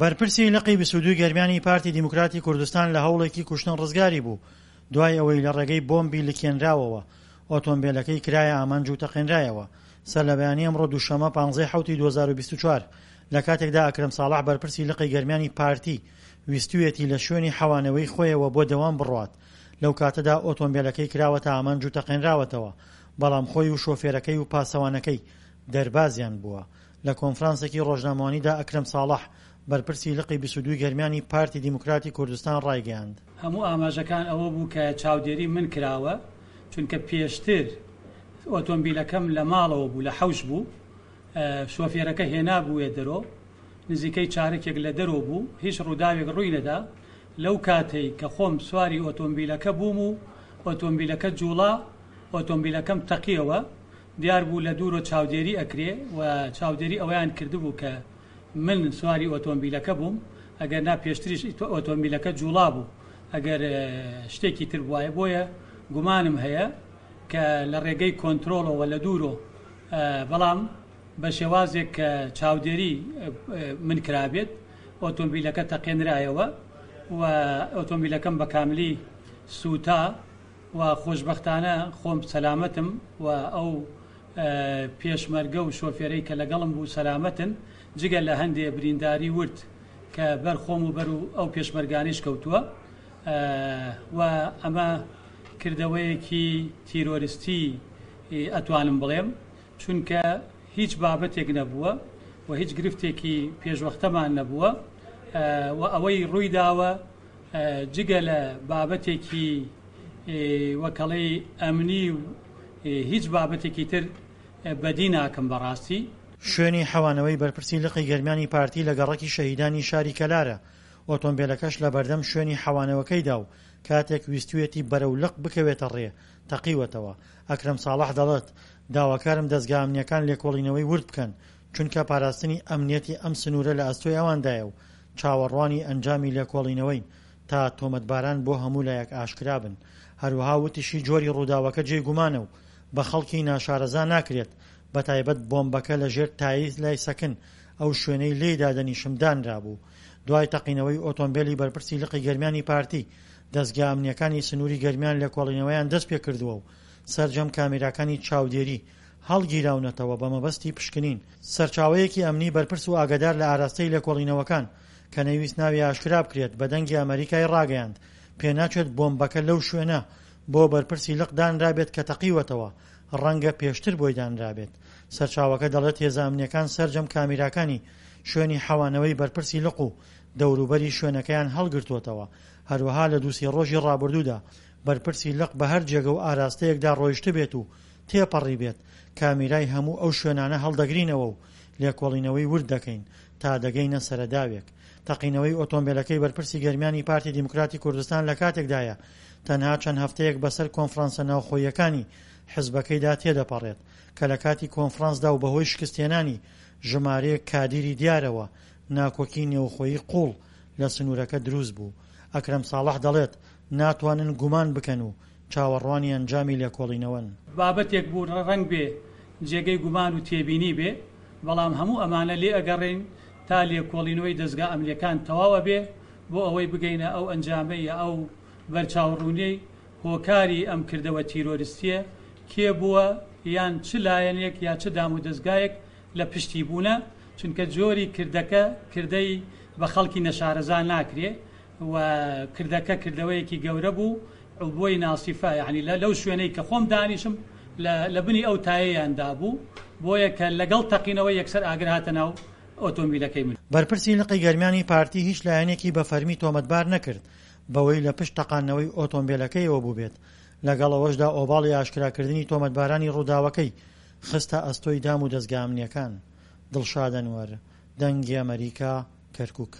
بەرپرسی لقی 22 گەرمیانی پارتی دیموکراتی کوردستان لە هەوڵێکی کوشتن ڕزگاری بوو، دوای ئەوەی لە ڕێگەی بۆمبی لکێنراوەوە ئۆتۆمبێلەکەی کرایە ئامانج و تەقێنرایەوە. سەرلەبەیانی ئەمڕۆ دووشەممە پانزەی حەوتی 2024 لە کاتێکدا ئەکرەم ساڵح بەرپرسی لقی گەرمیانی پارتی ویستویەتی لە شوێنی حەوانەوەی خۆیەوە بۆ دەوام بڕوات لەو کاتەدا ئۆتۆمبێلەکەی کراوەتە ئامانج و تەقێنراوەتەوە بەڵام خۆی و شۆفێرەکەی و پاسەوانەکەی دەربازیان بووە. لە کۆنفرانسێکی ڕۆژنامەوانیدا ئەکرەم ساڵح، بەرپرسی لقی 22 گەرمیانی پارتی دیموکراتی کوردستان ڕایگەیاند. هەموو ئاماژەکان ئەوە بوو کە چاودێری من کراوە، چونکە پێشتر ئۆتۆمبیلەکەم لە ماڵەوە بوو، لە حەوش بوو، شۆفێرەکە هێنابوویە دەرۆ، نزیکەی چارەکێک لە دەرۆ بوو، هیچ ڕووداوێک ڕووی نەدا، لەو کاتەی کە خۆم سواری ئۆتۆمبیلەکە بووم و ئۆتۆمبیلەکە جووڵا، ئۆتۆمبیلەکەم تەقیەوە، دیار بوو لە دوورۆ چاودێری ئەکرێ و چاودێری ئەوەیان کردبوو کە من سواری ئۆتۆمبیلەکە بووم، ئەگەر نا پێشتریش ئۆتۆمبیلەکە جووڵابوو ئەگەر شتێکی تر بوایە، بۆیە گومانم هەیە کە لە ڕێگەی کۆنترۆڵەوە لە دوورۆ بەڵام بە شێوازێک کە چاودێری من کرابێت ئۆتۆمبیلەکە تەقێنرایەوە و ئۆتۆمبیلەکەم بە کاملی سووتا. و خۆشبەختانە خۆم سەلامەتم و ئەو پێشمەرگە و شۆفێرەی کە لەگەڵم بوو سەلامەتن، جگە لە هەندێ برینداری ورد کە بەر خۆم و بەر ئەو پێشمەرگانەیش کەوتووە و ئەمە کردەوەیەکی تیرۆرستی ئەتوانم بڵێم، چونکە هیچ بابەتێک نەبووە و هیچ گرفتێکی پێشوەختەمان نەبووە و ئەوەی ڕوویداوە جگە لە بابەتێکی وەکەڵی ئەمنی و هیچ بابەتێکی تر بەدی ناکەم بەڕاستی. شوێنی حەوانەوەی بەرپرسی لقی گەرمیانی پارتی لە گەڕەکی شەهیدانی شاری کەلارە، ئۆتۆمبێلەکەش لە بەردەم شوێنی حەوانەوەکەیدا و کاتێک ویستویەتی بەرەو لق بکەوێتە ڕێ تەقیوەتەوە. ئەکرەم ساڵح دەڵێت، داواکارم دەزگا ئەمنییەکان لێکۆڵینەوەی ورد بکەن، چونکە پاراستنی ئەمنیەتی ئەم سنوورە لە ئەستۆی ئەواندایە و چاوەڕوانی ئەنجامی لێکۆڵینەوەین تا تۆمەتباران بۆ هەموو لایەک ئاشکرا بن. هەروەها وتیشی جۆری ڕووداوەکە جێی گومانە و بە خەڵکی ناشارەزا ناکرێت، بەتایبەت بۆمبەکە لە ژێر تایەی لای سەکن ئەو شوێنەی لێی دادەنیشم دانرابوو. دوای تەقینەوەی ئۆتۆمبێلی بەرپرسی لقی گەرمیانی پارتی، دەزگا ئەمنییەکانی سنووری گەرمیان لێکۆڵینەوەیان دەستپێکردووە و سەرجەم کامێراکانی چاودێری هەڵگیراونەتەوە بە مەبەستی پشکنین. سەرچاوەیەکی ئەمنی بەرپرس و ئاگادار لە ئاراستەی لێکۆڵینەوەکان کە نەیویست ناوی ئاشکرا بکرێت بە دەنگی ئەمەریکای ڕاگەیاند پێناچێت بۆمبەکە لەو شوێنە بۆ بەرپرسی لق دانرابێت کە تەقیوەتەوە ڕەنگە پێشتر بۆی دانرابێت. سەرچاوەکە دەڵێت هێزە ئەمنیەکان سەرجەم کامیراکانی شوێنی حەوانەوەی بەرپرسی لق و دەوروبەری شوێنەکەیان هەڵگرتووەتەوە هەروەها لە دوو سێ ڕۆژی ڕابردوودا بەرپرسی لق بە هەر جێگە و ئاراستەیەکدا ڕۆیشتبێت و تێپەڕیبێت، کامیرای هەموو ئەو شوێنانە هەڵدەگرینەوە و لێکۆڵینەوەی ورد دەکەین تا دەگەینە سەرەداوێک. تەقینەوەی ئۆتۆمبێلەکەی بەرپرسی گەرمیانی پارتی دیموکراتی کوردستان لە کاتێکدایە تەنها چەند هەفتەیەک بەسەر کۆنفرانسە ناوخۆییەکانی حزبەکەیدا تێدەپەڕێت کە لە کاتی کۆنفرانسدا و بەهۆی شکستهێنانی ژمارەیەک کادیری دیارەوە ناکۆکی نێوخۆیی قوڵ لە سنوورەکە دروست بوو. ئەکرەم ساڵح دەڵێت، ناتوانن گومان بکەن و چاوەڕوانی ئەنجامی لێکۆڵینەوەن. بابەتێک بوو ڕەنگبێ جێگەی گومان و تێبینی بێ، بەڵام هەموو ئەمانە لێ ئەگەڕێین تا لێکۆڵینەوەی دەزگا ئەمنیەکان تەواو ئەبێ بۆ ئەوەی بگەینە ئەو ئەنجامەی یا ئەو بەرچاوڕوونیەی هۆکاری ئەم کردەوە تیرۆرستیە کێ بووە یان چ لایەنێک یا چ دامودەزگایەک لە پشتی بوونە، چونکە جۆری کردەکە کردەی بە خەڵکی نەشارەزا ناکرێ و کردەکە کردەوەیەکی گەورە بوو عبوەی ناسیفە یانی لە لەو شوێنەی کە خۆم دانیشم لە لە بنی ئەو تایەیان دابوو بۆیە کە لەگەڵ تەقینەوە یەکسەر ئاگر هاتە ناو ئۆتۆمبیلەکەی من. بەرپرسی لقی گەرمیانی پارتی هیچ لایەنێکی بە فەرمی تۆمەتبار نەکرد بەوەی لە پشت تەقاندنەوەی ئۆتۆمبێلەکەیەوە بووبێت، لەگەڵ ئەوەشدا ئۆباڵی ئاشکراکردنی تۆمەتبارانی ڕووداوەکەی خستە ئەستۆی دام و دەزگا ئەمنییەکان. دڵشاد ئەنوەر، دەنگی ئەمەریکا، کەرکوک.